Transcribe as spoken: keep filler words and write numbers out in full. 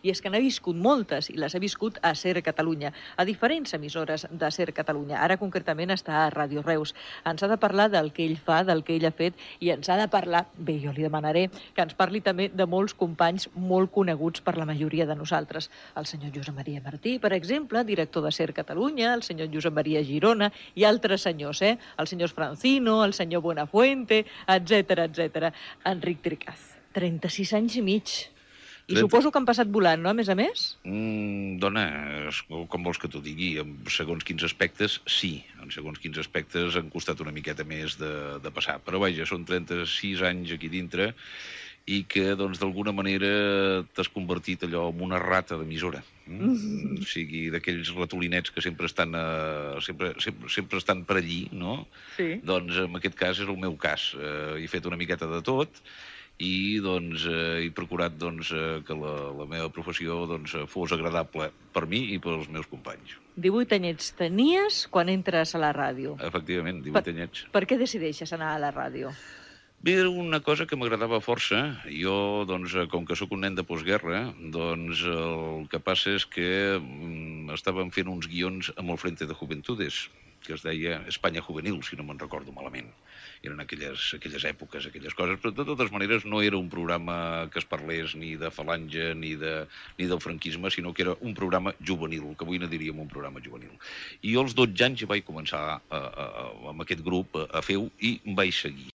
I és que n'ha viscut moltes, i les ha viscut a SER Catalunya, a diferents emissores de SER Catalunya. Ara concretament està a Ràdio Reus. Ens ha de parlar del que ell fa, del que ell ha fet, i ens ha de parlar, bé, jo li demanaré que ens parli també de molts companys molt coneguts per la majoria de nosaltres. El senyor Josep Maria Martí, per exemple, director de SER Catalunya, el senyor Josep Maria Girona, i altres senyors, eh? El senyor Francino, el senyor Buenafuente, etcètera, etcètera. Enric Tricaz, trenta-sis anys i mig. I suposo que han passat volant, no?, a més a més? Mm, dona, com vols que t'ho digui? En segons quins aspectes, sí. En segons quins aspectes han costat una miqueta més de, de passar. Però vaja, són trenta-sis anys aquí dintre i que, doncs, d'alguna manera t'has convertit allò en una rata d'emissora. Mm? O sigui, d'aquells ratolinets que sempre estan, uh, sempre, sempre, sempre estan per allí, no? Sí. Doncs en aquest cas és el meu cas. Uh, he fet una miqueta de tot i doncs, eh, he procurat doncs, eh, que la, la meva professió doncs, fos agradable per mi i pels meus companys. divuit anyets tenies quan entres a la ràdio. Efectivament, divuit per, anyets. Per què decideixes anar a la ràdio? Bé, era una cosa que m'agradava força. Jo, doncs, com que sóc un nen de postguerra, doncs el que passa és que mm, estàvem fent uns guions amb el Frente de Juventudes, que es deia Espanya Juvenil, si no me'n recordo malament. Eren aquelles, aquelles èpoques, aquelles coses, però de totes maneres no era un programa que es parlés ni de falange ni, de, ni del franquisme, sinó que era un programa juvenil, que avui ne diríem un programa juvenil. I jo als dotze anys ja vaig començar a, a, a, amb aquest grup a, a fer-ho i em vaig seguir.